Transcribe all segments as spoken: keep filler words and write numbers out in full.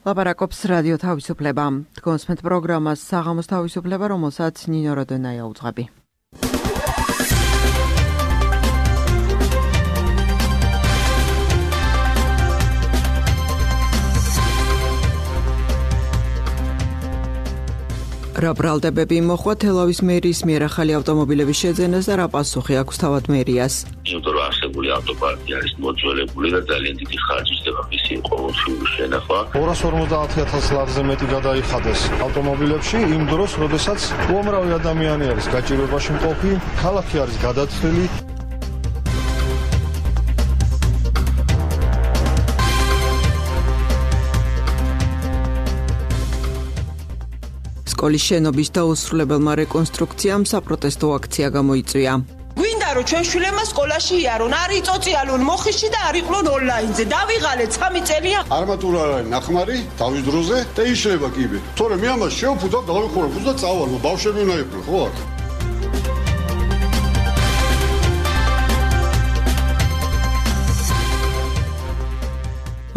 ლაპარაკობს რადიო თავისუფლება. გონსმენთ პროგრამას საღამოს თავისუფლება, რომელსაც ნინო როდენაია უძღვები. რა ბრალდებები მოხვა თელავის მერიის მიერ ახალი ავტომობილების შეძენას და რა პასუხი აქვს თავად მერიას? იმიტომ რომ არსებული ავტოპარკი არის მოძველებული და ძალიან დიდი ხარჯი ხდება მისი ყოველდღიური შენახვა. ორას ორმოცდაათი ათას ლარზე მეტი გადაიხადეს ავტომობილებში იმ დროს, როდესაც უამრავი ადამიანი არის გაჭირვებაში მყოფი, ქალაქი არის გადათხილი. სკოლის შენობის დაუსრულებელმა რეკონსტრუქციამ საპროტესტო აქცია გამოიწვია. გვინდა რომ ჩვენ შვილებმა სკოლაში იარონ, არ იწოწიალონ მოხიში და არ იყვნენ ონლაინზე. დავიღალეთ სამი წელია. არმატურა არის ნახმარი თავის დროზე და იშლება კიბე. თორემ მე ამას შევფუძავ და დავიხურებ და წავალ, ბავშვები უნდა იყვნენ, ხო არა?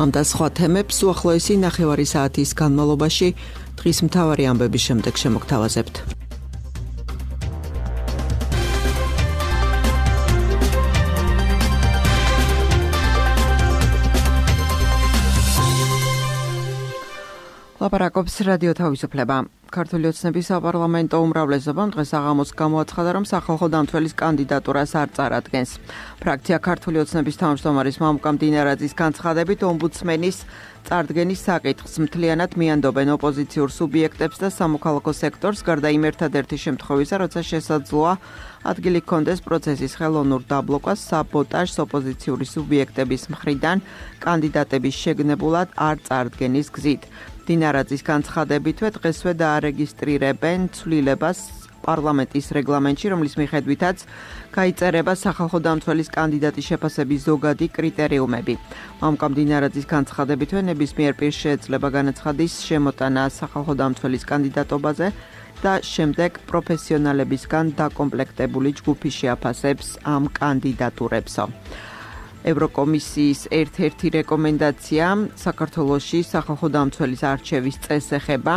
ამ და სხვა თემებს უახლოესი ნახევარი საათის განმავლობაში დღის მთავარი ამბების შემდეგ შემოგთავაზებთ. ლაპარაკობს რადიო თავისუფლება. ქართული ოცნების საპარლამენტო უმრავლესობამ დღეს საღამოს გამოაცხადა, რომ სახალხო დამცველის კანდიდატურას არ წარადგენს. ფრაქცია ქართული ოცნების თავმჯდომარის მამუკა მდინარაძის განცხადებით, ომბუდსმენის წარდგენის საკითხს მთლიანად მიანდობენ ოპოზიციურ სუბიექტებს და სამოქალაქო სექტორს, გარდა იმ ერთადერთი შემთხვევისა, როცა შესაძლოა ადგილი ჰქონდეს პროცესის ხელოვნურ დაბლოკას, საბოტაჟს ოპოზიციური სუბიექტების მხრიდან კანდიდატების შეგნებულად არ წარდგენის გზით. დინარაძის განცხადებითვე დღესვე დაარეგისტრირებენ ცვლილებას პარლამენტის რეგლამენტში, რომლის მიხედვითაც გაიწერება სახალხო დამცველის კანდიდატის შეფასების ზოგადი კრიტერიუმები. მამუკა მდინარაძის განცხადებითვე ნებისმიერ პირს შეეძლება განაცხადის შემოტანა სახალხო დამცველის კანდიდატობაზე და შემდეგ პროფესიონალებისგან დაკომპლექტებული ჯგუფი შეაფასებს ამ კანდიდატურებსო. ევროკომისიის ერთ-ერთი რეკომენდაცია საქართველოში სახალხო დამცველის არჩევის წესს ეხება.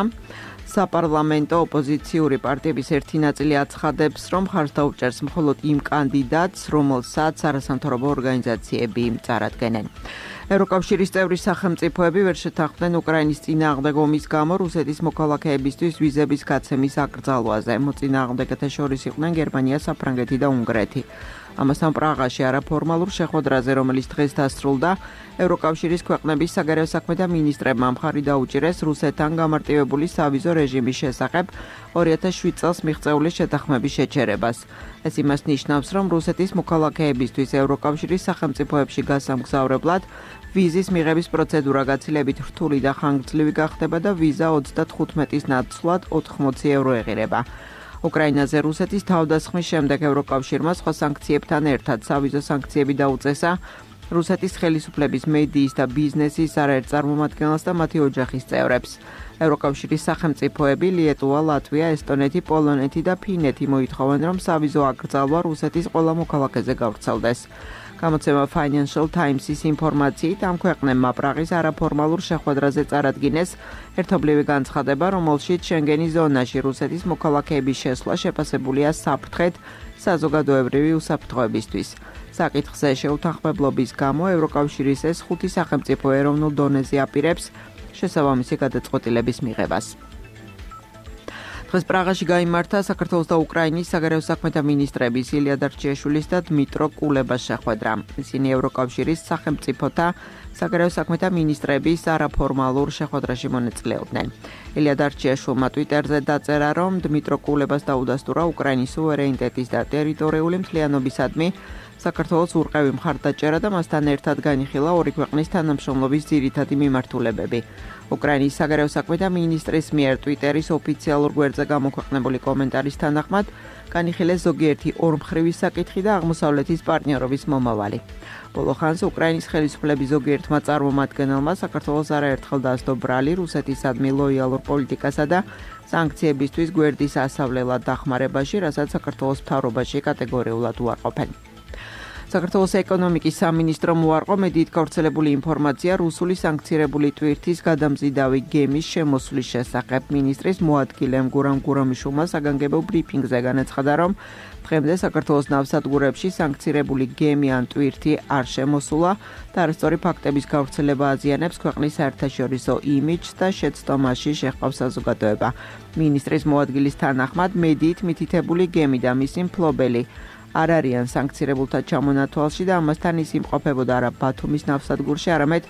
საპარლამენტო ოპოზიციური პარტიების ერთი ნაწილი აცხადებს, რომ ხარს დაუჭერს მხოლოდ იმ კანდიდატს, რომელსაც არასამთავრობო ორგანიზაციები წარადგენენ. ევროკავშირის წევრი სახელმწიფოები ვერ შეთანხმდნენ უკრაინის წინააღმდეგ ომის გამო რუსეთის მოქალაქეებისთვის ვიზების გაცემის აკრძალვაზე. მოწინააღმდეგეთა შორის იყვნენ გერმანია, საფრანგეთი და უნგრეთი. ამასთან პრაღაში არაფორმალურ შეხვედრაზე, რომელიც დღეს დასრულდა, ევროკავშირის ქვეყნების საგარეო საქმეთა მინისტრებმა მხარი დაუჭირეს რუსეთთან გამარტივებული სავიზო რეჟიმის შესახებ ორი ათას შვიდ წელს მიღწეული შეთანხმების შეჩერებას. ეს იმას ნიშნავს, რომ რუსეთის მოქალაქეებისთვის ევროკავშირის სახელმწიფოებში გასამგზავრებლად ვიზის მიღების პროცედურა გაცილებით რთული და ხანგრძლივი გახდება და ვიზა ოცდათხუთმეტის ნაცვლად ოთხმოცი ევრო ეღირება. უკრაინაზე რუსეთის თავდასხმის შემდეგ ევროკავშირმა სხვა სანქციებთან ერთად სავიზო სანქციები დაუწესა რუსეთის ხელისუფლების მედიის და ბიზნესის არაერთ წარმომადგენელს და მათი ოჯახის წევრებს. ევროკავშირის სახელმწიფოები ლიეტუვა, ლატვია, ესტონეთი, პოლონეთი და ფინეთი მოითხოვენ, რომ სავიზო აკრძალვა რუსეთის ყველა მოქალაქეზე გავრცელდეს. გამოცემა Financial Times-ის ინფორმაციით ამ ქვეყნებმა პრაღის არაფორმალურ შეხვედრაზე წარადგინეს ერთობლივი განცხადება, რომელშიც შენგენის ზონაში რუსეთის მოქალაქეების შესვლა შეფასებულია საფრთხედ საზოგადოებრივი უსაფრთხოებისთვის. საკითხზე შეუთანხმებლობის გამო ევროკავშირის ეს ხუთი სახელმწიფო ეროვნულ დონეზე აპირებს შესაბამისი გადაწყვეტილების მიღებას. დღეს პრაღაში გაიმართა საქართველოს და უკრაინის საგარეო საქმეთა მინისტრების ილია დარჩიაშვილის და დმიტრო კულებას შეხვედრა. ისინი ევროკავშირის სახელმწიფოთა საგარეო საქმეთა მინისტრების არაფორმალურ შეხვედრაში მონაწილეობდნენ. ილია დარჩიაშვილმა ტვიტერზე დაწერა, რომ დმიტრო კულებას დაუდასტურა უკრაინის სუვერენიტეტის და ტერიტორიული მთლიანობისადმი საქართველოს ურყევი მხარდაჭერა და მასთან ერთად განიხილა ორი ქვეყნის თანამშრომლობის ძირითადი მიმართულებები. უკრაინის საგარეო საქმეთა მინისტრის მიერ ტვიტერის ოფიციალურ გვერდზე გამოქვეყნებული კომენტარის თანახმად განიხილეს ზოგიერთი ორმხრივი საკითხი და აღმოსავლეთის პარტნიორობის მომავალი. ბოლო ხანს უკრაინის ხელისუფლების ზოგიერთმა წარმომადგენელმა საქართველოს არაერთხელ დაასდო ბრალი რუსეთისადმი ლოიალურ პოლიტიკასა და სანქციებისთვის გვერდის ასავლელად დახმარებაში, რასაც საქართველოს მთავრობაში კატეგორიულად უარყოფენ. საქართველოს ეკონომიკის სამინისტრომ უარყო მედიით გავრცელებული ინფორმაცია რუსული სანქცირებული ტვირთის გადამზიდავი გემის შემოსვლის შესახებ. მინისტრის მოადგილემ გურამ გურამიშვილმა საგანგებო ბრიფინგზე განაცხადა, რომ დღემდე საქართველოს ნავსადგურებში სანქცირებული გემი ან ტვირთი არ შემოსულა და არასწორი ფაქტების გავრცელება აზიანებს ქვეყნის საერთაშორისო იმიჯს და შეცდომაში შეჰყავს საზოგადოება. მინისტრის მოადგილის თანახმად მედიით მითითებული გემი და მისი მფლობელი არ არიან სანქცირებულთა ჩამონათვალში და ამასთან ის იმყოფებოდა არა ბათუმის ნავსადგურში, არამედ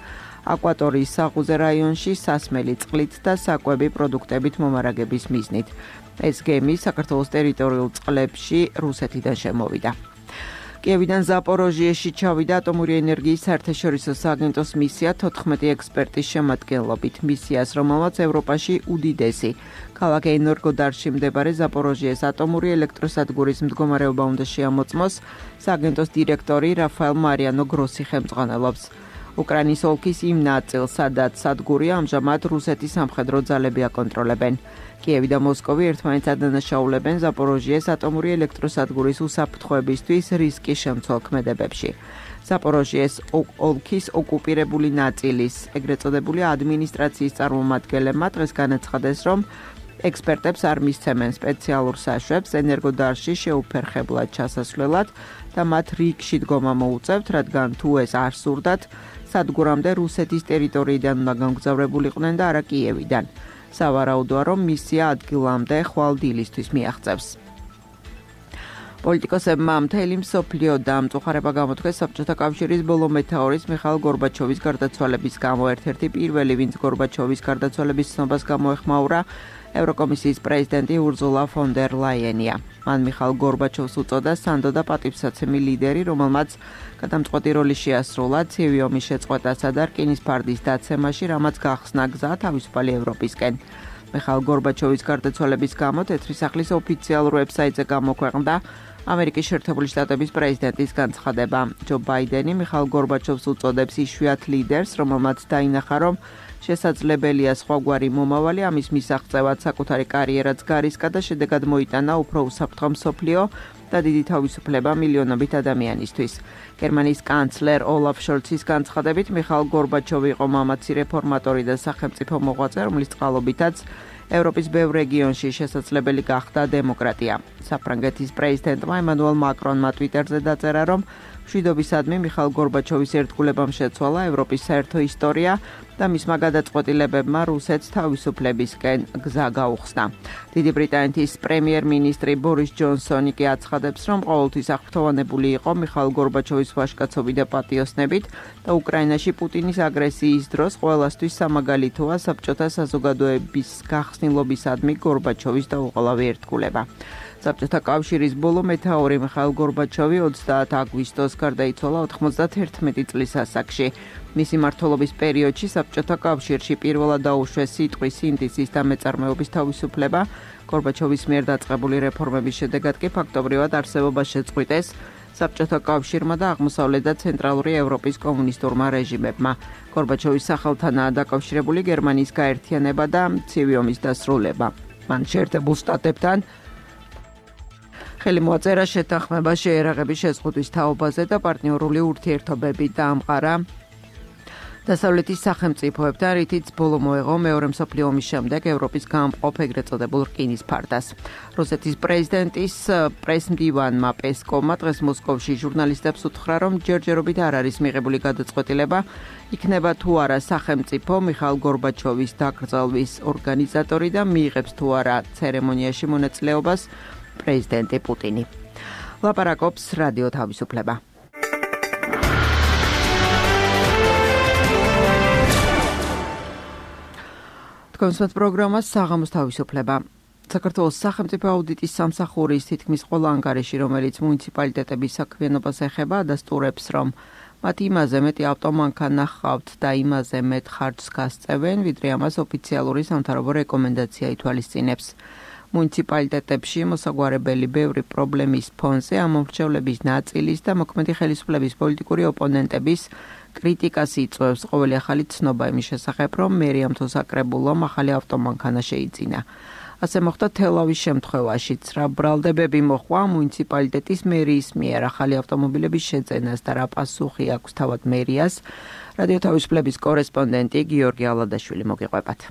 აკვატორიის საღუზე რაიონში სასმელი წყლით და საკვები პროდუქტებით მომარაგების მიზნით. ეს გემი საქართველოს ტერიტორიულ წყლებში რუსეთიდან შემოვიდა. კიევიდან ზაპოროჟიეში ჩავიდა ატომური ენერგიის საერთაშორისო სააგენტოს მისია თოთხმეტი ექსპერტის შემადგენლობით. მისიას, რომელმაც ევროპაში უდიდესი ქალაქ ენერგოდარში მდებარე ზაპოროჟიეს ატომური ელექტროსადგურის მდგომარეობა უნდა შეამოწმოს, სააგენტოს დირექტორი რაფაელ მარიანო გროსი ხელმძღვანელობს. უკრაინის ოლქის იმ ნაწილს, სადაც სადგური ამჟამად რუსეთის სამხედრო ძალები აკონტროლებენ. კიევი და მოსკოვი ერთმანეთს ადანაშაულებენ ზაპოროჟიეს ატომური ელექტროსადგურის უსაფრთხოებისთვის რისკის შემცველ ქმედებებში. ზაპოროჟიეს ოლქის ოკუპირებული ნაწილის, ეგრეთ წოდებული ადმინისტრაციის წარმომადგენლებმა დღეს განაცხადეს, რომ ექსპერტებს არ მისცემენ სპეციალურ საშვებს ენერგოდარში შეუფერხებლად ჩასასვლელად და მათ რიგში დგომა მოუწევთ, რადგან თუ ეს არ სურდათ, სადგურამდე რუსეთის ტერიტორიიდან უნდა გამგზავრებულიყვნენ და არა კიევიდან. სავარაუდოა, რომ მისია ადგილამდე ხვალ დილისთვის მიაღწევს. პოლიტიკოსებმა მთელი მსოფლიო დამწუხარება გამოთქვეს საბჭოთა კავშირის ბოლო მეთაურის მიხაილ გორბაჩოვის გარდაცვალების გამო. ერთ-ერთი პირველი, ვინც გორბაჩოვის გარდაცვალების ცნობას გამოეხმაურა, ევროკომისიის პრეზიდენტი ურზულა ფონ დერ ლაიენია. მან მიხაილ გორბაჩოვს უწოდა სანდო და პატივსაცემი ლიდერი, რომელმაც გადამწყვეტი როლი შეასრულა ცივი ომის შეწყვეტასა და რკინის ფარდის დაცემაში, რამაც გახსნა გზა თავისუფალი ევროპისკენ. მიხაილ გორბაჩოვის გარდაცვალების გამო თეთრი სახლის ოფიციალურ ვებსაიტზე გამოქვეყნდა ამერიკის შეერთებული შტატების პრეზიდენტის განცხადება. ჯო ბაიდენი მიხაილ გორბაჩოვს უწოდებს იშვიათ ლიდერს, რომელმაც დაინახა, რომ შესაძლებელია სხვაგვარი მომავალი, ამის მისაღწევად საკუთარი კარიერაც გარისკა და შედეგად მოიტანა უფრო უსაფრთხო მსოფლიო და დიდი თავისუფლება მილიონობით ადამიანისთვის. გერმანიის კანცლერ ოლაფ შოლცის განცხადებით, მიხაილ გორბაჩოვი იყო მამაცი რეფორმატორი და სახელმწიფო მოღვაწე, რომლის წყალობითაც ევროპის ბევრ რეგიონში შესაძლებელი გახდა დემოკრატია. საფრანგეთის პრეზიდენტმა ემანუელ მაკრონმა ტვიტერზე დაწერა, რომ მშვიდობისადმი მიხაილ გორბაჩოვის ერთგულებამ შეცვალა ევროპის საერთო ისტორია და მისმა გადაწყვეტილებებმა რუსეთს თავისუფლებისკენ გზა გაუხსნა. დიდი ბრიტანეთის პრემიერ-მინისტრი ბორის ჯონსონი კი აცხადებს, რომ ყოველთვის აღფრთოვანებული იყო მიხაილ გორბაჩოვის ვაჟკაცობით და პატიოსნებით და უკრაინაში პუტინის აგრესიის დროს ყველასთვის სამაგალითოა საბჭოთა საზოგადოების გახსნილობისადმი გორბაჩოვის დაუყოლავი ერთგულება. საბჭოთა კავშირის ბოლო მეთაური მიხაილ გორბაჩოვი ოცდაათი აგვისტოს გარდაიცვალა ოთხმოცდაათერთმეტი წლის ასაკში. მისი მმართველობის პერიოდში საბჭოთა კავშირში პირველად დაუშვეს სიტყვის, სინდისის და მეწარმეობის თავისუფლება. გორბაჩოვის მიერ დაწყებული რეფორმების შედეგად კი ფაქტობრივად არსებობა შეწყვიტეს საბჭოთა კავშირმა და აღმოსავლეთ და ცენტრალური ევროპის კომუნისტურმა რეჟიმებმა. გორბაჩოვის სახელთანაა დაკავშირებული გერმანიის გაერთიანება და ცივი ომის დასრულება. მან შეერთებულ შტატებთან ხელი მოაწერა შეთანხმება შეერაღების შეზღუდვის თაობაზე და პარტნიორული ურთიერთობები დაამყარა დასავლეთის სახელმწიფოებთან, რითიც ბოლო მოეღო მეორე მსოფლიო ომის შემდეგ ევროპის გამყოფ ეგრეთ წოდებულ რკინის ფარდას. რუსეთის პრეზიდენტის პრესმდივანმა პესკოვმა დღეს მოსკოვში ჟურნალისტებს უთხრა, რომ ჯერჯერობით არ არის მიღებული გადაწყვეტილება, იქნება თუ არა სახელმწიფო მიხაილ გორბაჩოვის დაკრძალვის ორგანიზატორი და მიიღებს თუ არა ცერემონიაში მონაწილეობას პრეზიდენტი პუტინი. ლაპარაკობს რადიო თავისუფლება. თქვენს პროგრამას საღამოს თავისუფლება. საქართველოს სახელმწიფო აუდიტის სამსახურის თითქმის ყველა ანგარიში, რომელიც მუნიციპალიტეტების საქმიანობას ეხება, ადასტურებს, რომ მათ იმაზე მეტი ავტომანქანა ჰყავთ და იმაზე მეტ ხარჯს გასწევენ, ვიდრე ამას ოფიციალური სამთავრობო რეკომენდაცია ითვალისწინებს. მუნიციპალიტეტებში მოსაგვარებელი ბევრი პრობლემის ფონზე ამომრჩევლების ნაწილის და მოქმედი ხელისუფლების პოლიტიკური ოპონენტების კრიტიკას იწვევს ყოველი ახალი ცნობა იმის შესახებ, რომ მერიამ თუ საკრებულომ ახალი ავტომანქანა შეიძინა. ასე მოხდა თელავის შემთხვევაშიც. რა ბრალდებები მოხდა მუნიციპალიტეტის მერიის მიერ ახალი ავტომობილების შეძენას და რა პასუხი აქვს თავად მერიას? რადიო თავისუფლების კორესპონდენტი გიორგი ალადაშვილი მოგიყვებათ.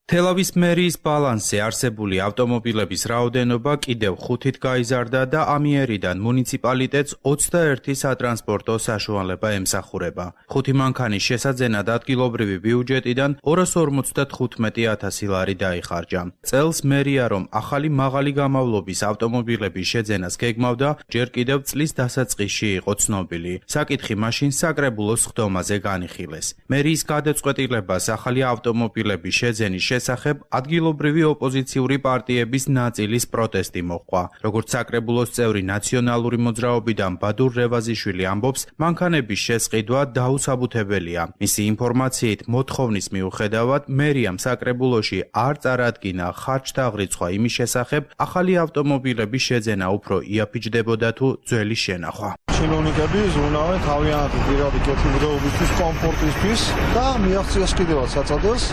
თელავის მერიის ბალანსზე არსებული ავტომობილების რაოდენობა კიდევ ხუთით გაიზარდა და ამიერიდან მუნიციპალიტეტს ოცდაერთი სატრანსპორტო საშუალება ემსახურება. ხუთი მანქანის შესაძენად ადგილობრივი ბიუჯეტიდან ორას ორმოცდათხუთმეტი ათასი ლარი დაიხარჯა. წელს მერია რომ ახალი მაღალი გამავლობის ავტომობილების შეძენას გეგმავდა, ჯერ კიდევ წლის დასაწყისში იყო ცნობილი. საკითხი მაშინ საკრებულოს სხდომაზე განიხილეს. მერიის გადაწყვეტილებას ახალი ავტომობილების შეძენის შესახებ ადგილობრივი ოპოზიციური პარტიების ნაწილის პროტესტი მოჰყვა. როგორც საკრებულოს წევრი ნაციონალური მოძრაობიდან ბადურ რევაზიშვილი ამბობს, მანქანების შესყიდვა დაუსაბუთებელია. მისი ინფორმაციით, მოთხოვნის მიუხედავად, მერიამ საკრებულოში არ წარადგინა ხარჯთაღრიცხვა იმის შესახებ, ახალი ავტომობილების შეძენა უფრო იაფიჯდებოდა თუ ძველი შენახვა. Чиновникები ზრუნავენ თავიანთი პირადი კეთილდღეობისთვის, კომფორტისთვის და მიაღწიეს კიდევაც საწადელს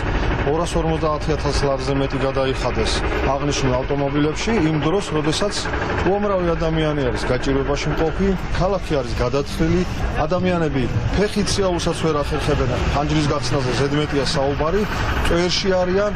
ორას ორმოცდაათი ათასი ლარზე მეტი გადაიხადეს აღნიშნულ ავტომობილებში იმ დროს, როდესაც უამრავი ადამიანი არის გაჭირვებაში მყოფი, ქალაქი არის გადათვლილი, ადამიანები ფეხით სიაულსაც ვერ ახერხებენ, ხანჯრის გახსნაზე ზედმეტია საუბარი, წვერში არიან,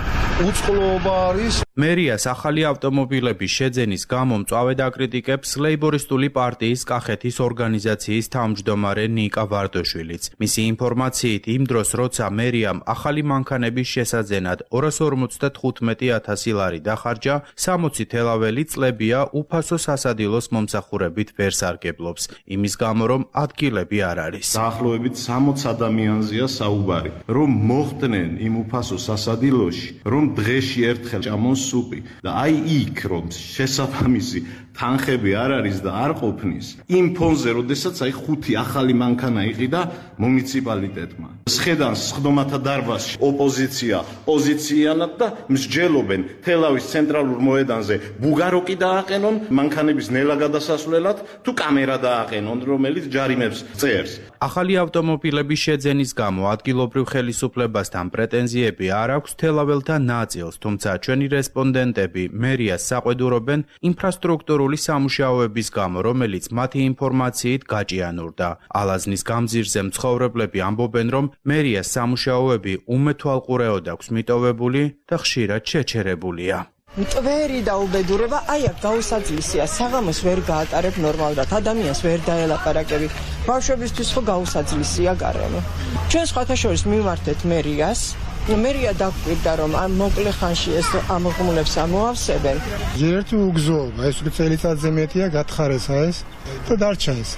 უწყლობა არის. მერიას ახალი ავტომობილების შეძენის გამო მწვავედ აკრიტიკებს ლეიბორისტული პარტიის კახეთის ორგანიზაციის თავმჯდომარე ნიკა ვარდოშვილიც. მისი ინფორმაციით, იმ დროს, როცა მერიამ ახალი მანქანების შესაძენად ორას ორმოცდათხუთმეტი ათასი ლარი დახარჯა, სამოცი თელაველი წლებია უფასო სასადილოს მომსახურებით ვერ სარგებლობს, იმის გამო რომ ადგილები არ არის. დაახლოებით სამოც ადამიანზეა საუბარი, რომ მოხდნენ იმ უფასო სასადილოში, რომ დღეში ერთხელ ჭამონ სუპი და აი იქ რომ შესაბამისი თანხები არ არის და არ ყოფნის იმ ფონზე, როდესაც აი ხუთი ახალი მანქანა იყიდა მუნიციპალიტეტმა. სხედან სხდომათა დარბაზში ოპოზიცია პოზიციანად და მსჯელობენ თელავის ცენტრალურ მოედანზე ბუგაროკი დააყენონ მანქანების ნელა გადასასვლელად თუ კამერა დააყენონ, რომელიც ჯარიმებს წერს. ახალი ავტომობილების შეძენის გამო ადგილობრივ ხელისუფლებასთან პრეტენზიები არ აქვს თელაველთა ნაწილს, თუმცა ჩვენი რესპონდენტები მერიას საყვედურობენ ინფრასტრუქტურული სამუშაოების გამო, რომელიც მათი ინფორმაციით გაჭიანურდა. ალაზნის გამზირზე მცხოვრებლები ამბობენ, რომ მერიას სამუშაოები უმეთვალყურეოდ აქვს მიტოვებული და ხშირად შეჩერებულია. მტვერი და უბედურება აი აქ გაუსაძლისია, საღამოს ვერ გაატარებ ნორმალურად, ადამიანს ვერ დაელაპარაკები. ბავშვებისთვის ხო გაუსაძლისია გარემო. ჩვენ სხვათა შორის მივმართეთ მერიას. მერია დაგვირდა რომ ამ მოკლე ხანში ეს ამოღმულებს ამოავსებენ. ერთი უგზოობა, ეს წელიწადზე მეტია გათხარესა ეს და დარჩა ეს.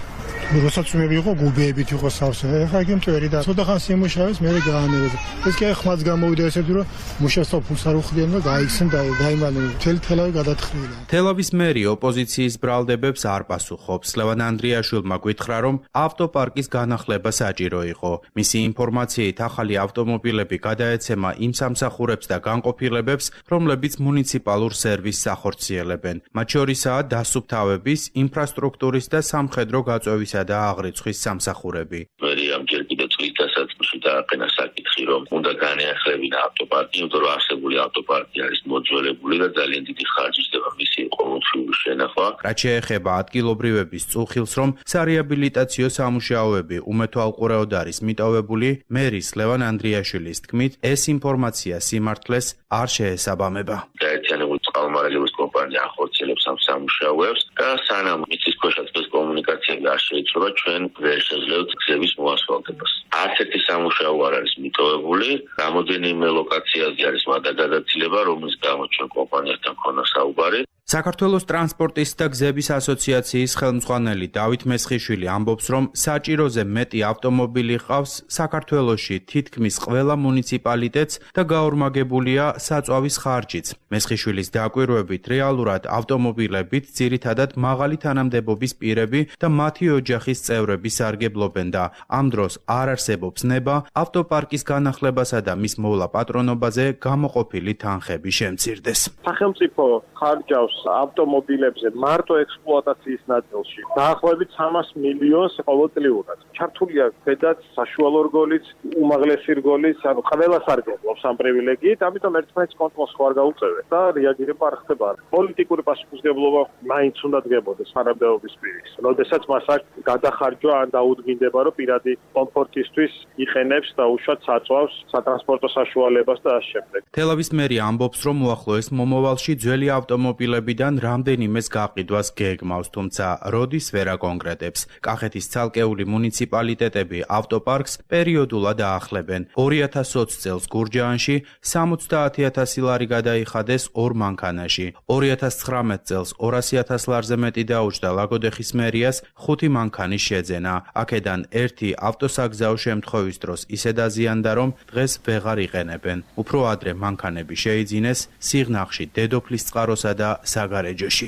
როცა წვიმები იყო, გუბეებით იყო სავსე. ეხლა იგი მტვერი და ცოტა ხანს იმუშავეს, მე გაანებეს. ეს კი ხმაც გამოვიდა ესეთი რომ მუშას თოფულს არ უხდიან და გაიქცენ და დაიმალნენ. მთელი თელავი გადათხრილა. თელავის მერი ოპოზიციის ბრალდებებს არ პასუხობს. ლევან ანდრიაშვილმა გითხრა, რომ ავტოპარკის განახლება საჭირო იყო. მისი ინფორმაციით, ახალი ავტომობილები გადაეცემა იმ სამსახურებს და განყოფილებებს, რომლებიც მუნიციპალურ სერვისს ახორციელებენ. მათ შორისაა დასუფთავების, ინფრასტრუქტურის და სამხედრო გაწევის და აღრიცხვის სამსახურები. მერიამ ჯერ კიდევ წლის დასაწყისში დააყენა საკითხი, რომ უნდა განეახლებინა ავტოპარკი, იმიტომ რომ არსებული ავტოპარკი არის მოძველებული და ძალიან დიდი ხარჯის დება მისი ყოველთვიური შენახვა. რაც შეეხება ადგილობრივების წუხილს, რომ სარეაბილიტაციო სამუშაოები უმეთვალყურეოდ არის მიტოვებული, მერის ლევან ანდრიაშვილის თქმით, ეს ინფორმაცია სიმართლეს არ შეესაბამება. გაერთიანებული წყალმარაგების კომპანია ახორციელებს ამ სამუშაოებს და სანამ მიწისქვეშა წყლის კომუნიკაციები არ შეიცვალა, ჩვენ ვერ შეძლევთ გზების მოასფალტებას. არც ერთი სამუშაო არ არის მიტოვებული, რამოდენიმე ლოკაციაზე არის გადაცილება, რომლის გამო ჩვენ კომპანიასთან ქონა საუბარი. საქართველოს ტრანსპორტის და გზების ასოციაციის ხელმძღვანელი დავით მესხიშვილი ამბობს, რომ საჭიროზე მეტი ავტომობილი ყავს საქართველოში თითქმის ყველა მუნიციპალიტეტს და გაორმაგებულია საწვავის ხარჯიც. მესხიშვილის დაკვირვებით, რეალურად სპეციალურად ავტომობილებით ძირითადად მაღალი თანამდებობის პირები და მათი ოჯახის წევრები სარგებლობენ და ამ დროს არ არსებობს ნება ავტოპარკის განახლებასა და მის მოვლა პატრონობაზე გამოყოფილი თანხები შემცირდეს. სახელმწიფო ხარჯავს ავტომობილებზე მარტო ექსპლუატაციის ნაწილში დაახლოებით სამას მილიონს ყოველწლიურად. ჩართულია ზედაც საშუალო რგოლიც, უმაღლესი რგოლიც, ანუ ყველა სარგებლობს ამ პრივილეგიით, ამიტომ ერთმანეთს კონტროლს ხარ გაუწევენ და რეაგირება არ ხდება. პოლიტიკური პასუხისმგებლობა მაინც უნდა დგებოდეს თანამდებობის პირის. როდესაც მას აქვს გადახარჯვა ან დაუდგინდება, რომ პირადი კომფორტისთვის იყენებს და უშუალოდ საწვავს სატრანსპორტო საშუალებას და ამ შემდეგ. თელავის მერია ამბობს, რომ უახლოეს მომავალში ძველი ავტომობილებიდან რამდენიმეს გაყიდვას გეგმავს, თუმცა როდის ვერ აკონკრეტებს. კახეთის ცალკეული მუნიციპალიტეტები ავტოპარკს პერიოდულად აახლებენ. ორი ათას ოცი წელს გურჯაანში სამოცდაათი ათასი ლარი გადაიხადეს ორ მანქანაში. ორი ათას ცხრამეტ წელს ორასი ათას ლარზე მეტი დაუჯდა ლაგოდეხის მერიას ხუთი მანქანის შეძენა. აქედან ერთი ავტოსაგზაო შემთხვევის დროს ისე დაზიანდა, რომ დღეს ვეღარ იყენებენ. უფრო ადრე მანქანები შეიძინეს სიღნაღში, დედოფლის წყაროსა და საგარეჯოში.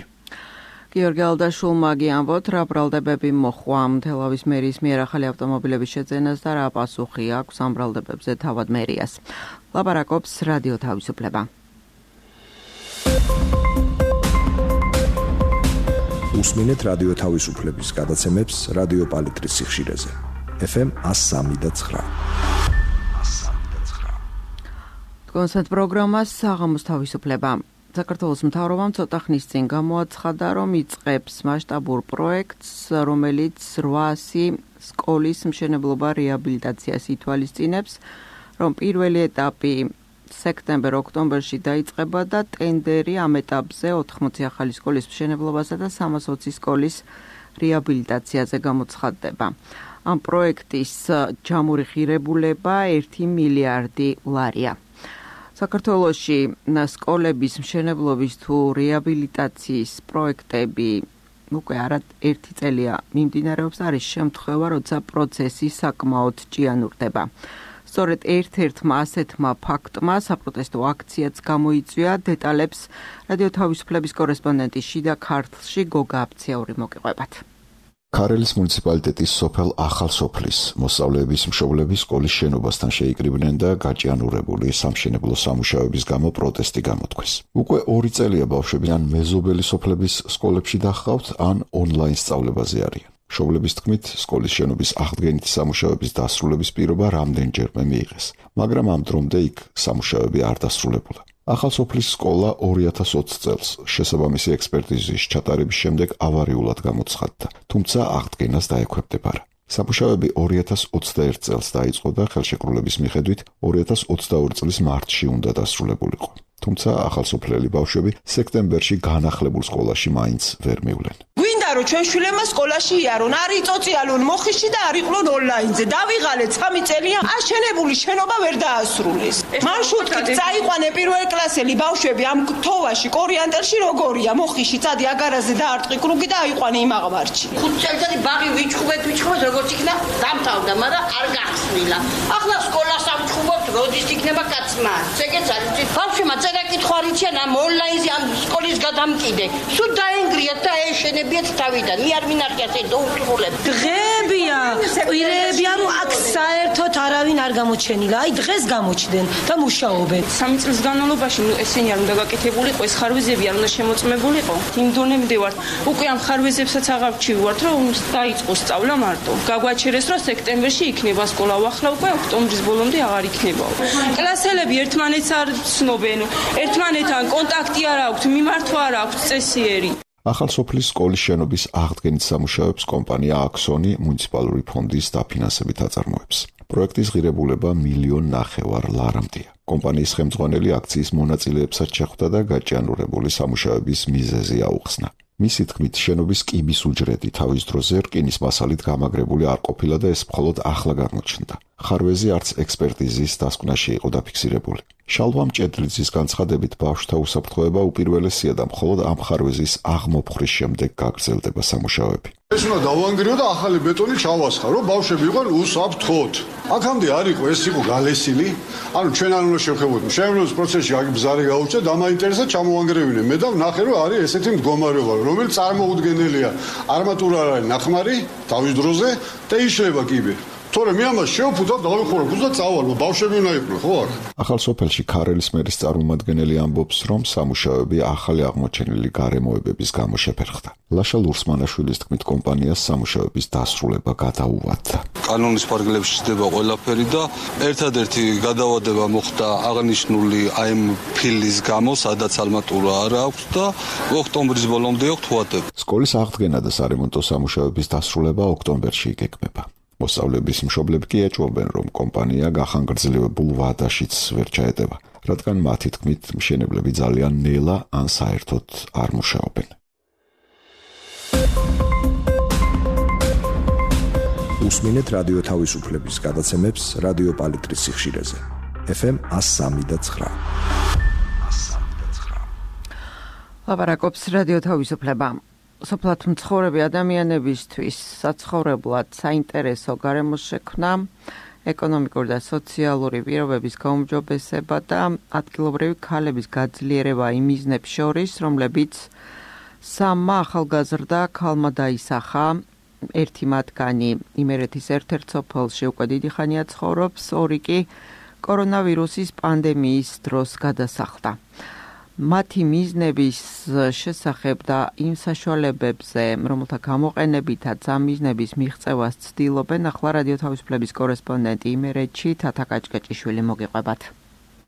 გიორგი ალდაშულმა გიამბოთ, რა ბრალდებები მოხვა თელავის მერიის მიერ ახალი ავტომობილების შეძენას და რა პასუხი აქვს ამ ბრალდებებზე თავად მერიას. ლაპარაკობს რადიო თავისუფლება. უსმინეთ რადიო თავისუფლების გადაცემებს რადიო პალიტრის სიხშირეზე. ეფ ემ one oh three point nine. კონცერტ პროგრამას საღამოს თავისუფლება. საქართველოს მთავრობამ ცოტა ხნის წინ გამოაცხადა, რომ იწყებს მასშტაბურ პროექტს, რომელიც რვაასი სკოლის მშენებლობა რეაბილიტაციას ითვალისწინებს, რომ პირველი ეტაპი სექტემბერ-ოქტომბერში დაიწყება და ტენდერი ამ ეტაპზე ოთხმოცი ახალი სკოლის მშენებლობასა და სამას ოცი სკოლის რეაბილიტაციაზე გამოცხადდება. ამ პროექტის ჯამური ღირებულება ერთი მილიარდი ლარია. საქართველოში სკოლების მშენებლობის თუ რეაბილიტაციის პროექტები უკვე არა ერთი წელია მიმდინარეობს, არის შემთხვევა, როცა პროცესი საკმაოდ ჭიანურდება. სწორედ ერთ-ერთმა ასეთმა ფაქტმა საპროტესტო აქციაც გამოიწვია, დეტალებს რადიო თავისუფლების კორესპონდენტი შიდა ქართლში გოგა აფციაური მოგიყვებათ. ქარელის მუნიციპალიტეტის სოფელ ახალ სოფლის მოსწავლეების მშობლები სკოლის შენობასთან შეიკრიბნენ და გაჭიანურებული სამშენებლო სამუშაოების გამო პროტესტი გამოთქვეს. უკვე ორი წელია ბავშვები ან მეზობელი სოფლების სკოლებში დაჰყავთ, ან ონლაინ სწავლებაზე არიან. მშობლების თქმით, სკოლის შენობის აღდგენითი სამუშაოების დასრულების პირობა რამდენჯერმე მიიღეს, მაგრამ ამ დრომდე იქ სამუშაოები არ დასრულებულა. ახალ სოფლის სკოლა ორი ათას ოცი წელს შესაბამისი ექსპერტიზის ჩატარების შემდეგ ავარიულად გამოცხადდა, თუმცა აღდგენას დაექვემდებარა. სამუშაოები ორი ათას ოცდაერთი წელს დაიწყო და ხელშეკრულების მიხედვით ორი ათას ოცდაორი წლის მარტში უნდა დასრულებულიყო. თუმცა ახალსოფლელი ბავშვები სექტემბერში განახლებულ სკოლაში მაინც ვერ მივლენ. გვინდა რომ ჩვენ შვილებმა სკოლაში იარონ, არ იწოწიალონ მოხიში და არ იყვნენ ონლაინზე. დავიღალეთ სამი წელია, აშენებული შენობა ვერ დაასრულეს. მარშრუტით წაიყვანე პირველ კლასელი ბავშვები ამ თოვაში, კორიანტელში როგორია, მოხიში წადი აგარაზე დაარტყი კრუგი და აიყვანე იმ აღმართში. ხუთ წელიწადი ბაღი ვიჩხუბეთ, ვიჩხუბეთ, როგორც იქნა დამთავრდა, მაგრამ არ გახსნილა. ახლა სკოლას ამჩხუბობთ, როდის იქნება კაცმა. ეგეც არის. ბავშვებმა წერა კითხვა არ იციან ამ ონლაინზე ამ სკოლის გადამკიდე. სულ დაენგრიათ და ეშენებიათ თავიდან. მე არ მინახეთ ეს დაუსრულებ. დღეებია, კვირეებია, რომ აქ საერთოდ არავინ არ გამოჩენილა. აი დღეს გამოჩდნენ და მუშაობენ. სამი წლის განმავლობაში ესენი არ უნდა გაკეთებულიყო, ეს ხარვეზები არ უნდა შემოწმებულიყო. იმ დონემდე ვართ. უკვე ამ ხარვეზებსაც აღარჩივართ, რომ დაიწყო სწავლა მარტო. გაგვაჩერეს, რომ სექტემბერში იქნება სკოლა, ახლა უკვე ოქტომბრის ბოლომდე აღარ იქნება. კლასელები ერთმანეთს არ ცნობენ, ერთმანეთთან კონტაქტი არ აქვთ, მიმართვა არ აქვთ წესიერი. ახალ სოფლის სკოლის შენობის აღდგენით სამუშაოებს კომპანია აქსონი მუნიციპალური ფონდის დაფინანსებით აწარმოებს. პროექტის ღირებულება მილიონ ნახევარ ლარამდეა. კომპანიის ხელმძღვანელი აქციის მონაწილეებსაც შეხვდა და გაჭიანურებული სამუშაოების მიზეზი აუხსნა. მისი თქმით, შენობის კიბის უჯრედი თავის დროზე რკინის მასალით გამაგრებული არ ყოფილა და ეს მხოლოდ ახლა გამოჩნდა. ხარვეზი არც ექსპერტიზის დასკვნაში იყო დაფიქსირებული. შალვა მჭედლიძის განცხადებით, ბავშვთა უსაფრთხოება უპირველესია და მხოლოდ ამ ხარვეზის აღმოფხვრის შემდეგ გაგრძელდება სამუშაოები. ეს უნდა დავანგრიო და ახალი ბეტონი ჩავასხა, რომ ბავშვები იყვნენ უსაფრთხოდ. აქამდე არ იყო, ეს იყო გალესილი. ანუ ჩვენ არ უნდა შევხედოთ. შემდგომ პროცესში აქ ბზარი გაუჩნდა, დამაინტერესა ჩამოვანგრევინე. მე და ვნახე, რომ არის ესეთი მდგომარეობა, რომელიც წარმოუდგენელია. არმატურა არ არის ნახმარი თავის დროზე და იშლება კიბე. თორე მე ამას შევფუძა და დავიხურებ და წავალ, ბავშვები უნდა იყვნენ, ხო არა? ახალ სოფელში ქარელის მერის წარმომადგენელი ამბობს, რომ სამუშაოები ახალი აღმოჩენილი გარემოებების გამო შეფერხდა. ლაშა ლურსმანაშვილის თქმით, კომპანიას სამუშაოების დასრულება გადაუვადდა. კანონის ფარგლებში ჩდება ყველაფერი და ერთადერთი გადავადება მოხდა აღნიშნული აი ამ ფილის გამო, სადაც ალმატურა არ აქვს და ოქტომბრის ბოლომდე აქვს ვადები. სკოლის აღდგენა და სარემონტო სამუშაოების დასრულება ოქტომბერში იგეგმება. მოსწავლეების მშობლები კი ეჭვობენ, რომ კომპანია გახანგრძლივებულ ვადაშიც ვერ ჩაეტება, რადგან მათი თქმით, მშენებლები ძალიან ნელა ან საერთოდ არ მუშაობენ. უსმინეთ რადიო თავისუფლების გადაცემებს რადიო პალიტრის სიხშირეზე. ეფ ემ one oh three და nine. ლაპარაკობს რადიო თავისუფლება. სოფლად მცხოვრები ადამიანებისთვის საცხოვრებლად საინტერესო გარემოს შექმნა, ეკონომიკური და სოციალური პირობების გაუმჯობესება და ადგილობრივი ქალების გაძლიერება იმ მიზნებს შორის, რომლებიც სამმა ახალგაზრდა ქალმა დაისახა. ერთი მათგანი იმერეთის ერთ-ერთ სოფელში უკვე დიდი ხანია ცხოვრობს, ორი კი კორონავირუსის პანდემიის დროს გადასახლდა. მათი მიზნების შესახებ და იმ საშუალებებზე, რომელთა გამოყენებითაც ამ მიზნების მიღწევას ცდილობენ, ახლა რადიო თავისუფლების კორესპონდენტი იმერეთში თათა კაჭკაჭიშვილი მოგიყვებათ.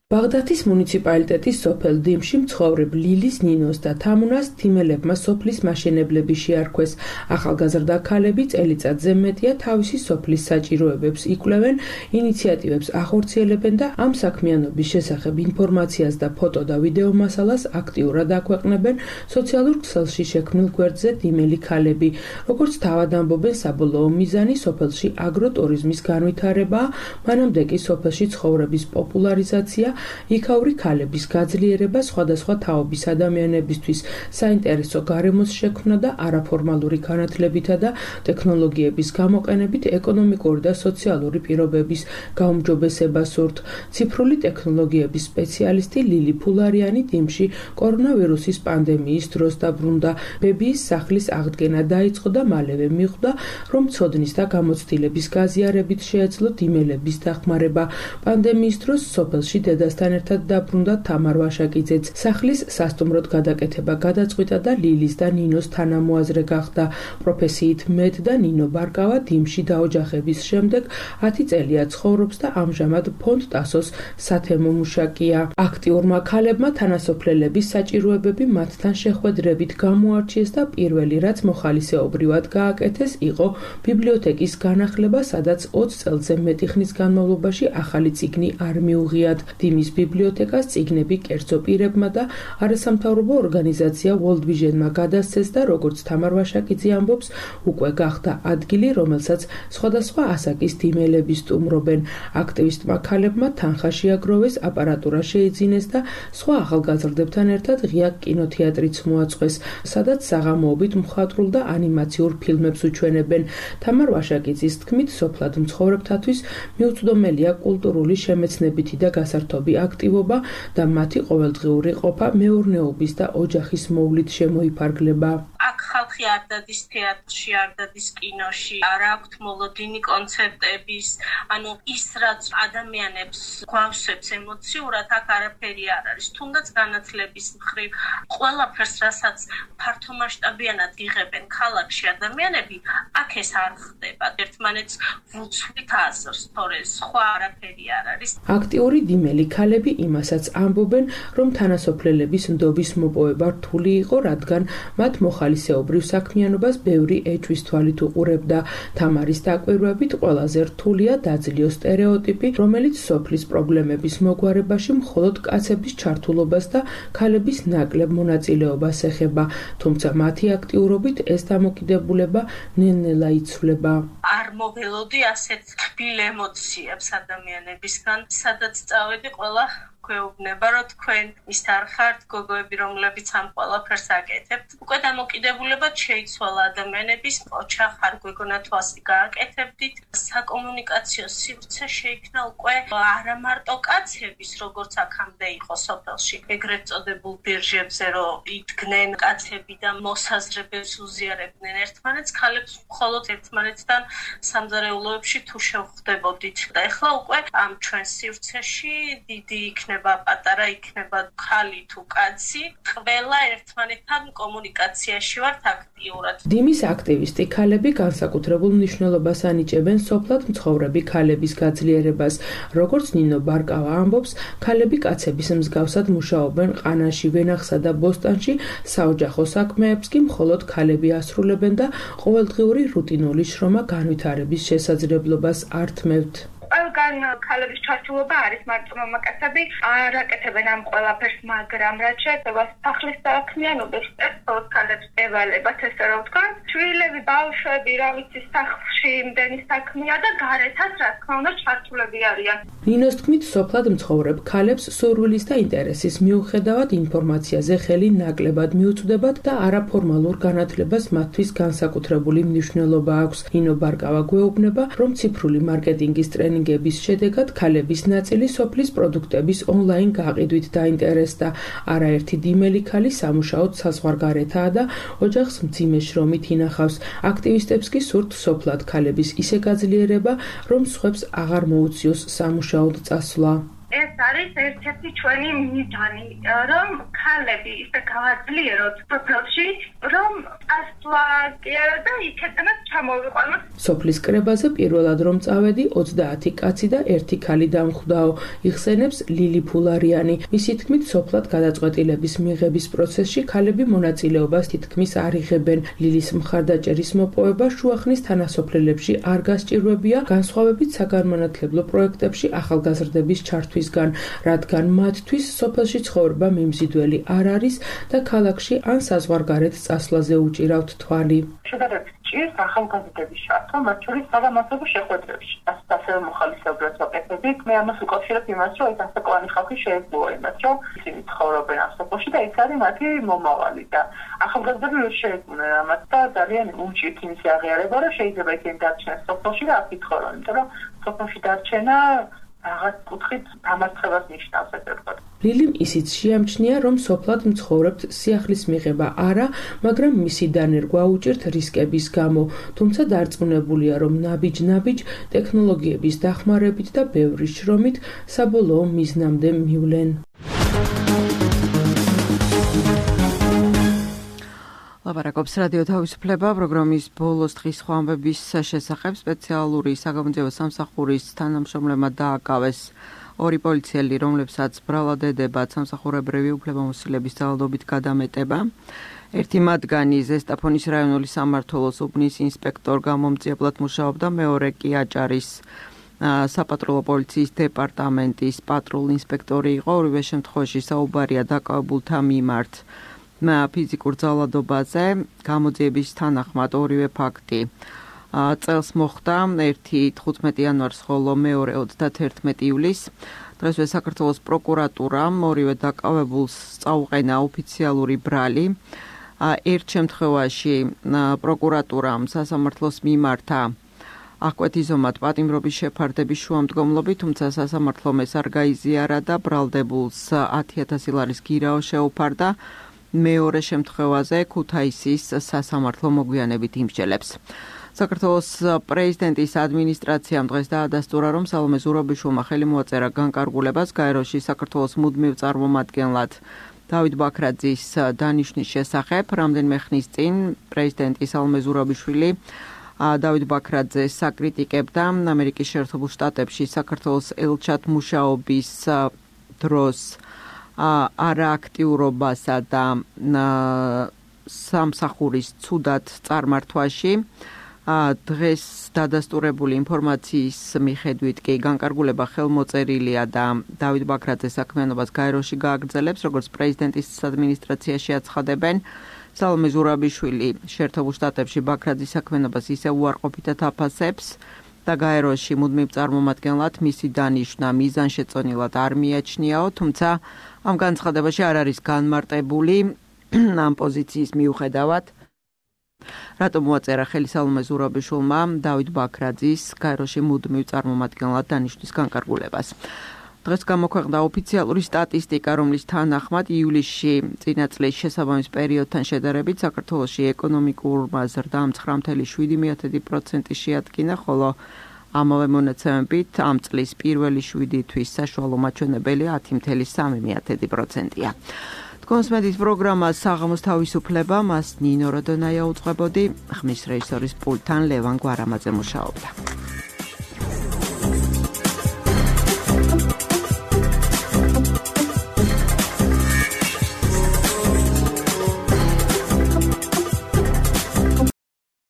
ბაღდათის მუნიციპალიტეტის სოფელ დიმში მცხოვრებ ლილის, ნინოს და თამუნას თიმელებმა სოფლის მაშენებლები შეარქვეს. ახალგაზრდა ქალები წელიწადზე მეტია თავისი სოფლის საჭიროებებს იკვლევენ, ინიციატივებს ახორციელებენ და ამ საქმიანობის შესახებ ინფორმაციას და ფოტო და ვიდეო მასალას აქტიურად აქვეყნებენ სოციალურ ქსელში შექმნილ გვერდზე დიმელი ქალები. როგორც თავად ამბობენ, საბოლოო მიზანი სოფელში აგროტურიზმის განვითარებაა, მანამდე კი სოფელში ცხოვრების პოპულარიზაცია, იქაური ქალების გაძლიერება, სხვადასხვა თაობის ადამიანებისთვის საინტერესო გარემოს შექმნა და არაფორმალური განათლებითა და ტექნოლოგიების გამოყენებით ეკონომიკური და სოციალური პირობების გაუმჯობესება სურთ. ციფრული ტექნოლოგიების სპეციალისტი ლილი ფულარიანი დიმში კორონავირუსის პანდემიის დროს დაბრუნდა. ბებიის სახლის აღდგენა დაიწყო და მალევე მიხვდა, რომ ცოდნის და გამოცდილების გაზიარებით შეეძლო დიმელების დახმარება. პანდემიის დროს სოფელში დედა დედასთან ერთად დაბრუნდა თამარ ვაშაკიძეც. სახლის სასტუმროდ გადაკეთება გადაწყვიტა და ლილის და ნინოს თანამოაზრე გახდა. პროფესიით მეტ და ნინო ბარკავა დიმში დაოჯახების შემდეგ ათი წელია ცხოვრობს და ამჟამად ფონდ ტასოს სათემო მუშაკია. აქტიურმა ქალებმა თანასოფლელების საჭიროებები მათთან შეხვედრებით გამოარჩიეს და პირველი რაც მოხალისეობრივად გააკეთეს იყო ბიბლიოთეკის განახლება, სადაც ოცი წელზე მეტი ხნის განმავლობაში ახალი წიგნი არ მიუღიათ. დიმის ბიბლიოთეკას წიგნები კერძო პირებმა და არასამთავრობო ორგანიზაცია World Vision-მა გადასცეს და როგორც თამარ ვაშაკიძე ამბობს, უკვე გახდა ადგილი, რომელსაც სხვადასხვა ასაკის დიმელები სტუმრობენ. აქტივისტმა ქალებმა თანხა შეაგროვეს, აპარატურა შეიძინეს და სხვა ახალგაზრდებთან ერთად ღია კინოთეატრიც მოაწყვეს, სადაც საღამოობით მხატვრულ და ანიმაციურ ფილმებს უჩვენებენ. თამარ ვაშაკიძის თქმით, სოფლად მცხოვრებთათვის მიუწვდომელია კულტურული შემეცნებითი და გასართობი აქტივობა და მათი ყოველდღიური ყოფა მეურნეობის და ოჯახის მოვლით შემოიფარგლება. აქ ხალხი არ დადის თეატრში, არ დადის კინოში, არ აქვთ მოლოდინი კონცერტების, ანუ ის რაც ადამიანებს გვავსებს ემოციურად, აქ არაფერი არ არის. თუნდაც განათლების მხრივ ყველაფერს, რასაც ფართომასშტაბიანად იღებენ ქალაქში ადამიანები, აქ ეს არ ხდება. ერთმანეთს ვუცვლით აზრს, თორე სხვა არაფერი არ არის. აქტიური დიმელი ქალები იმასაც ამბობენ, რომ თანასოფლელების ნდობის მოპოვება რთული იყო, რადგან მათ მოხალისეობრივ საქმიანობას ბევრი ეჭვის თვალით უყურებდა. თამარის დაკვირვებით ყველაზე რთულია დაძლიო სტერეოტიპი, რომელიც სოფლის პრობლემების მოგვარებაში მხოლოდ კაცების ჩართულობას და ქალების ნაკლებ მონაწილეობას ეხება, თუმცა მათი აქტიურობით ეს დამოკიდებულება ნელ-ნელა იცვლება. არ მოველოდი ასეთ თბილ ემოციებს ადამიანებისგან, სადაც წავედი, ყველა გვეუბნება, რომ თქვენ ის არ ხართ გოგოები, რომლებიც ამ ყველაფერს აკეთებთ. უკვე დამოკიდებულებად შეიცვალა ადამიანების ოჩახ არ გვეგონა თუ ასე გააკეთებდით. საკომუნიკაციო სივრცე შეიქმნა უკვე არა მარტო კაცების, როგორც აქამდე იყო სოფელში, ეგრეთ წოდებულ ბირჟებზე, რომ იდგნენ კაცები და მოსაზრებებს უზიარებდნენ ერთმანეთს, ქალებს მხოლოდ ერთმანეთთან სამზარეულოებში თუ შევხვდებოდით. და ეხლა უკვე ამ ჩვენ სივრცეში დიდი იქნება, პატარა იქნება, ხალი თუ კაცი, ყველა ერთმანეთთან კომუნიკაციაში ვართ აქტიურად. დიმის აქტივისტი ქალები განსაკუთრებულ მნიშვნელობას ანიჭებენ სოფლად მცხოვრები ქალების გაძლიერებას. როგორც ნინო ბარკავა ამბობს, ქალები კაცების მსგავსად მუშაობენ ყანაში, ვენახსა და ბოსტანში, საოჯახო საქმეებს კი მხოლოდ ქალები ასრულებენ და ყოველდღიური რუტინული შრომა განვითარების შესაძლებლობას ართმევთ. ყველგან ქალების ჩართულობა არის მარტო მამაკაცები არ აკეთებენ ამ ყველაფერს, მაგრამ რაც შეეხება სახლის საქმიანობას, ეს ქალებს ევალებათ, ესე რომ ვთქვა, შვილები, ბავშვები, რა ვიცი, სახლში იმდენი საქმეა და გარეთაც რა თქმა უნდა ჩართულები არიან. ნინოს თქმით, სოფლად მცხოვრებ ქალებს სურვილის და ინტერესის მიუხედავად ინფორმაციაზე ხელი ნაკლებად მიუწვდებათ და არაფორმალურ განათლებას მათთვის განსაკუთრებული მნიშვნელობა აქვს. ნინო ბარკავა გვეუბნება, რომ ციფრული მარკეტინგის ტრენინგების შედეგად ქალების ნაწილი სოფლის პროდუქტების ონლაინ გაყიდვით დაინტერესდა. არაერთი დიმელი ქალი სამუშაოდ საზღვარგარეთაა და ოჯახს მძიმე შრომით ინახავს. აქტივისტებს კი სურთ სოფლად ქალების ისე გაძლიერება, რომ სხვებს აღარ მოუწიოს სამუშაოდ წასვლა. ეს არის ერთ-ერთი ჩვენი მიზანი, რომ ქალები ისე გავაძლიეროთ სოფელში, რომ წასვლა კი არა და იქედანაც ჩამოვიყვანოთ. სოფლის კრებაზე პირველად რომ წავედი, ოცდაათი კაცი და ერთი ქალი დამხვდაო, იხსენებს ლილი ფულარიანი. მისი თქმით, სოფლად გადაწყვეტილების მიღების პროცესში ქალები მონაწილეობას თითქმის არ იღებენ. ლილის მხარდაჭერის მოპოვება შუახნის თანასოფლელებში არ გასჭირვებია, განსხვავებით საგანმანათლებლო პროექტებში ახალგაზრდების ჩართვისგან, რადგან მათთვის სოფელში ცხოვრება მიმზიდველი არ არის და ქალაქში ან საზღვარგარეთ წასვლაზე უჭირავთ თვალი. შედარებით ჭირს ახალგაზრდების ჩართვა, მათ შორის საგამოძიებო შეხვედრებში. ასეთ ასევე მოხალისეობას ვაკეთებთ. მე ამას ვუკავშირებ იმას, რომ ეს ასაკოვანი ხალხი შეეძლოა იმას, რომ ისინი ცხოვრობენ ამ სოფელში და ეს არის მათი მომავალი და ახალგაზრდები ვერ შეეძლნენ ამას და ძალიან უჭირთ იმის აღიარება, რომ შეიძლება ისინი დარჩნენ სოფელში და აქ იცხოვრონ, იმიტომ რომ სოფელში დარჩენა რაღაც კუთხით დამარცხებას ნიშნავს, ესე ვთქვათ. ლილიმ ისიც შეამჩნია, რომ სოფლად მცხოვრებთ სიახლის მიღება არა, მაგრამ მისი დანერგვა უჭირთ რისკების გამო, თუმცა დარწმუნებულია, რომ ნაბიჯ-ნაბიჯ ტექნოლოგიების დახმარებით და ბევრი შრომით საბოლოო მიზნამდე მივლენ. ლაპარაკობს რადიო თავისუფლება პროგრამის ბოლოს დღის სხვა ამბების შესახებ. სპეციალური საგამოძიებო სამსახურის თანამშრომლებმა დააკავეს ორი პოლიციელი, რომლებსაც ბრალად ედებათ სამსახურებრივი უფლებამოსილების ძალადობით გადამეტება. ერთი მათგანი ზესტაფონის რაიონული სამმართველოს უბნის ინსპექტორ გამომძიებლად მუშაობდა, მეორე კი აჭარის საპატრულო პოლიციის დეპარტამენტის პატრულ ინსპექტორი იყო. ორივე შემთხვევაში საუბარია დაკავებულთა მიმართ ფიზიკურ ძალადობაზე. გამოძიების თანახმად ორივე ფაქტი წელს მოხდა, ერთი თხუთმეტი იანვარს, ხოლო მეორე ოცდათერთმეტი ივლისს. დღესვე საქართველოს პროკურატურამ ორივე დაკავებულს წაუყენა ოფიციალური ბრალი. ერთ შემთხვევაში პროკურატურამ სასამართლოს მიმართა აღკვეთილზომად პატიმრობის შეფარდების შუამდგომლობით, თუმცა სასამართლომ ეს არ გაიზიარა და ბრალდებულს ათი ათასი ლარის გირაო შეუფარდა. მეორე შემთხვევაზე ქუთაისის სასამართლო მოგვიანებით იმსჯელებს. საქართველოს პრეზიდენტის ადმინისტრაციამ დღეს დაადასტურა, რომ სალომე ზურაბიშვილმა ხელი მოაწერა განკარგულებას გაეროში საქართველოს მუდმივ წარმომადგენლად დავით ბაქრაძის დანიშვნის შესახებ. რამდენიმე ხნის წინ პრეზიდენტი სალომე ზურაბიშვილი დავით ბაქრაძეს საკრიტიკებდა ამერიკის შეერთებულ შტატებში საქართველოს ელჩად მუშაობის დროს არააქტიურობასა და სამსახურის ცუდად წარმართვაში. დღეს დადასტურებული ინფორმაციის მიხედვით კი განკარგულება ხელმოწერილია და დავით ბაქრაძეს საქმიანობას გაეროში გააგრძელებს, როგორც პრეზიდენტის ადმინისტრაციაში აცხადებენ. სალომე ზურაბიშვილი შეერთებულ შტატებში ბაქრაძის საქმიანობას ისე უარყოფითად აფასებს და გაეროში მუდმივ წარმომადგენლად მისი დანიშვნა მიზანშეწონილად არ მიაჩნიაო, თუმცა ამ განცხადებაში არ არის განმარტებული ამ პოზიციის მიუხედავად რატომ მოაწერა ხელი სალომე ზურაბიშვილმა დავით ბაქრაძის გაეროში მუდმივ წარმომადგენლად დანიშვნის განკარგულებას. დღეს გამოქვეყნდა ოფიციალური სტატისტიკა, რომლის თანახმად ივლისში წინა წლის შესაბამის პერიოდთან შედარებით საქართველოში ეკონომიკურმა ზრდამ ცხრა ფاصლე შვიდი პროცენტი შეადგინა, ხოლო ამავე მონაცემებით ამ წლის პირველი შვიდი თვის საშუალო მაჩვენებელი ათი ფاصლე სამი პროცენტია. თქვენს მედიის პროგრამა საღამოს თავისუფლება, მას ნინო როდონაია უძღვებოდი, ხმის რეჟისორის პულტთან ლევან გვარამაძე მუშაობდა.